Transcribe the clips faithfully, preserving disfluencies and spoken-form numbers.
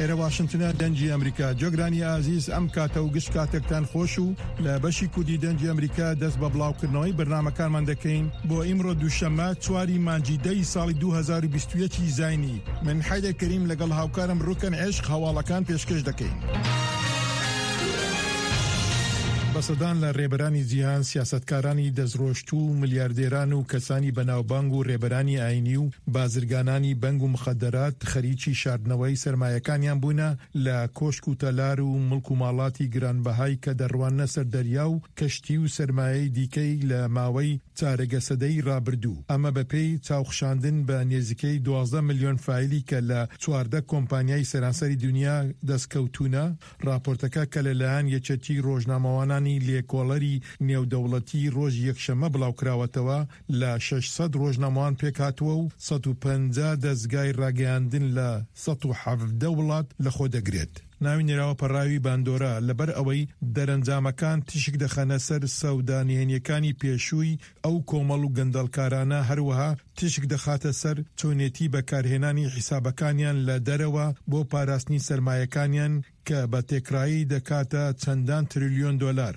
ئێرە واشنتنە، دەنگی ئەمریکا. جۆگرانی ئازیز، ئەم کاتە و گشت کاتێکتان خۆش و لە بەشی کوردی دەنگی ئەمریکا دەست بە بڵاوکردنەوەی بەرنامەکانمان دەکەین بۆ ئیمڕۆ دووشەممە چواری مانگی دەی ساڵی دوو هەزار و بیست و یەک ی زاینی. من حەیدەر کەریم لەگەڵ هاوکارم ڕوکەن عشق هەواڵەکان پێشکەش دەکەین. بە سەدان لە ڕێبەرانی جیهان، سیاسەتکارانی دەستڕۆشتوو و ملیاردێران و کەسانی بەناوبانگ و ڕێبەرانی ئاینی و بازرگانانی بەنگ و مخەدەرات خەریکی شاردنەوەی سەرمایەکانیان بوونە لە کۆشک و تەلار و مڵک و ماڵاتی گرانبەهای کە دەڕواننە سەر دەریا و کەشتی و سەرمایەی دیکەی لە ماوەی چارەگە سەدەی ڕابردوو. ئەمە بەپێی چاوخشاندن بە نێزیکەی دوازدە ملیۆن فایلی کە لە چواردە کۆمپانیای سەرانسەری دونیا دەستکەوتوونە. ڕاپۆرتەکە کە لەلایەن یەکێتی ڕۆژنامەوانانی لێکۆڵەری نێودەوڵەتی ڕۆژی یەکشەممە بڵاوکراوەتەوە، لە شەش سەد ڕۆژنامەوان پێکهاتووە و سەد و پەنجا دەزگای ڕاگەیاندن لە سەد و حەڤدە وڵات لەخۆدەگرێت. ناوی نراوە پەڕاوی باندۆرا لەبەر ئەوەی دەرەنجامەکان تیشک دەخەنە سەر سەودا نهێنیەکانی پێشووی ئەو کۆمەڵ و گەندەڵکارانە، هەروەها تیشک دەخاتە سەر چۆنێتی بەکارهێنانی حیسابەکانیان لە دەرەوە بۆ پاراستنی سەرمایەکانیان کە بە تێکڕایی دەکاتە چەندان تریلیۆن دۆلار.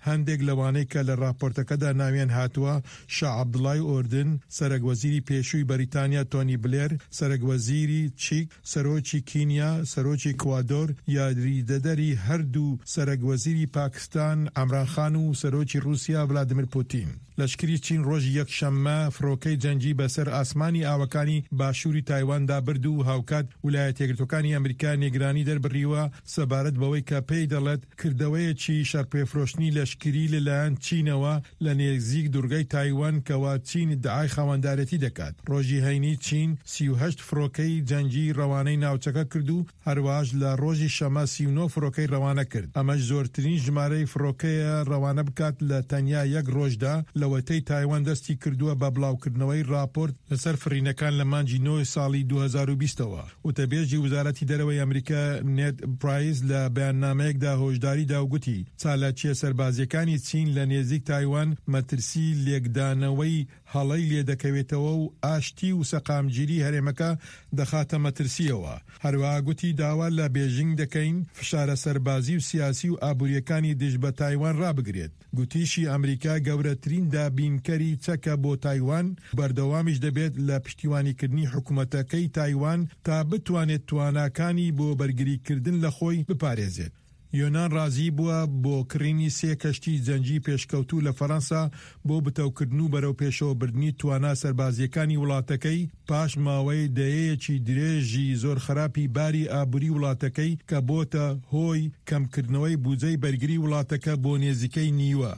هەندێک لەوانەی کە لە ڕاپۆرتەکەدا ناویان هاتووە شا عەبدوڵای ئوردن، سەرەک وەزیری پێشووی بەریتانیا تۆنی بلێر، سەرەک وەزیری چیک، سەرۆکی کینیا، سەرۆکی ئیکوادۆر، یاریدەدەری هەردوو سەرەک وەزیری پاکستان عەمران خان و سەرۆکی ڕووسیا ڤلادیمیر پوتین. لەشکری چین ڕۆژی یەکشەممە فڕۆکەی جەنگی بەسەر ئاسمانی ئاوەکانی باشووری تایواندا برد و هاوکات ولایەتە یەکگرتووەکانی ئەمریکا نیگەرانی دەربڕیوە سەبارەت بەوەی کە پێی دەڵێت کردەوەیەکی شەڕپێفرۆشتنی لەشکری لەلایەن چینەوە لە نێزیک دوورگەی تایوان کەوا چین ئیدعای خاوەندارێتی دەکات. ڕۆژی هەینی چین سی و هەشت فڕۆکەی جەنگی ڕەوانەی ناوچەکە کرد و هەروەهاش لە ڕۆژی شەمە سی و نۆ فڕۆکەی ڕەوانە کرد، ئەمەش زۆرترین ژمارەی فڕۆکەیە ڕەوانە بکات لە تەنیا یەک ڕۆژدا لەوەتەی تایوان دەستی کردووە بە بڵاوکردنەوەی ڕاپۆرت لەسەر فڕینەکان لە مانگی نۆ ساڵی دوو هەزار و بیست ەوە. وتەبێژی وەزارەتی دەرەوەی ئەمریکا نێد پرایس لە بەیاننامەیەکدا هۆشداری دا و گوتی چالاکییە سەربازییەکانی چین لە نێزیک تایوان مەترسی لێکدانەوەی هەڵەی لێدەکەوێتەوە و ئاشتی و سەقامگیری هەرێمەکە دەخاتە مەترسییەوە. هەروەها گوتی داوا لە بێژینگ دەکەین فشارە سەربازی و سیاسی و ئابوورییەکانی دژ بە تایوان ڕابگرێت. گوتیشی ئەمریکا گەورەترین دابینکەری چەکە بۆ تایوان، بەردەوامیش دەبێت لە پشتیوانیکردنی حکومەتەکەی تایوان تا بتوانێت تواناکانی بۆ بەرگریکردن لە خۆی بپارێزێت. یۆنان ڕازی بووە بۆ کڕینی سێ کەشتی جەنگی پێشکەوتوو لە فەرەنسا بۆ بتەوکردن و بەرەوپێشەوەبردنی توانا سەربازییەکانی وڵاتەکەی پاش ماوەی دەیەیەکی درێژی زۆر خراپی باری ئابووری وڵاتەکەی کە بۆتە هۆی کەمکردنەوەی بودجەی بەرگری وڵاتەکە بۆ نێزیکەی نیوە.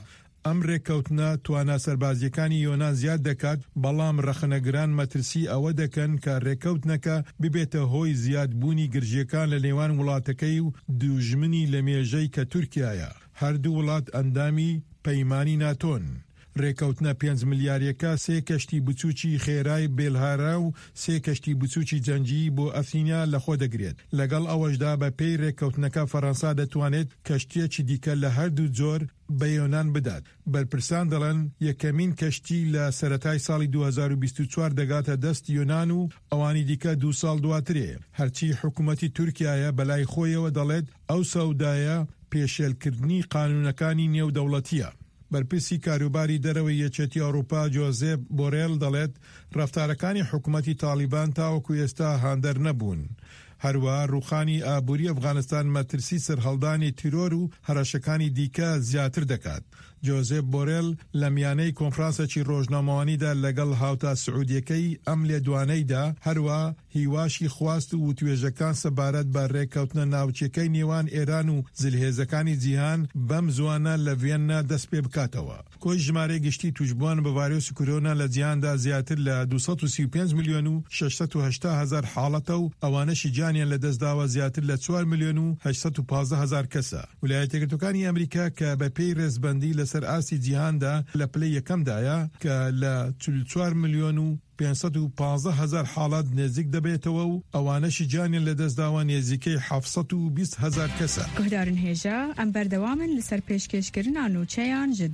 ئەم ڕێککەوتنە توانا سەربازییەکانی یۆنان زیاد دەکات، بەڵام ڕەخنەگران مەترسی ئەوە دەکەن کە ڕێککەوتنەکە ببێتە هۆی زیادبوونی گرژییەکان لە نێوان وڵاتەکەی و دوژمنی لەمێژەی کە تورکیایە. هەردوو وڵات ئەندامی پەیمانی ناتۆن. ڕێککەوتنە پێنج ملیاریەکە سێ کەشتی بچووکی خێرای بێلهارا و سێ کەشتی بچووکی جەنگی بۆ ئەثینا لەخۆ دەگرێت. لەگەڵ ئەوەشدا بە پێی ڕێککەوتنەکە فەرەنسا دەتوانێت کەشتیەکی دیکە لە هەردوو جۆر بە یۆنان بدات. بەرپرسان دەڵێن یەکەمین کەشتی لە سەرەتای ساڵی دوو هەزار و بیست و چوار دەگاتە دەست یۆنان و ئەوانی دیکە دوو ساڵ دواترێ. هەرچی حکومەتی تورکیایە بەلای خۆیەوە دەڵێت ئەو سەودایە پێشێلکردنی قانونەکانی نێودەوڵەتیە. بەرپرسی کاروباری دەرەوەی یەکێتی ئەوروپا جۆزێپ بۆرێل دەڵێت ڕەفتارەکانی حکومەتی تاڵیبان تاوەکو ئێستا هاندەر نەبوون. هەروەها ڕووخانی ئابووری ئەفغانستان مەترسی سەرهەڵدانی تیرۆر و هەڕەشەکانی دیکە زیاتر دەکات. جۆزێپ بۆرێل لە میانەی کۆنفرانسێکی ڕۆژنامەوانیدا لەگەڵ هاوتا سعودیەکەی ئەم لێدوانەیدا، هەروەها هیواشی خواست و وتوێژەکان سەبارەت بە ڕێککەوتنە ناوچەکەی نێوان ئێران و زلهێزەکانی جیهان بەم زووانە لە ڤیەننا دەست پێ بکاتەوە. کۆی ژمارەی گشتی تووشبووان بە ڤایرۆسی کۆرۆنا لە جیهاندا زیاتر لە دوو سەد و سی و پێنج ملیۆن و شەش سەد و هەشتا هەزار حاڵەتە و ئەوانەشی گیانیان لەدەستداوە زیاتر لە چوار ملیۆن و هەشت سەد و پازدە هەزار کەسە. ویلایەتە یەکگرتووەکانی ئەمریکا کە بە پێی ڕێزبەندی لەسەر ئاستی جیهاندا لە پلەی یەکەمدایە کە لە چل و چوار ملیۆن و پێنج سەد و پازدە هەزار حاڵەت نێزیک دەبێتەوە و ئەوانەشی گیانیان لەدەستداوە نێزیکەی حەفت سەد و بیست هەزار کەسە. گوهدارن هێژا، ئەم بەردەوامن لەسەر پێشکێشکردنا نوچەیان ژ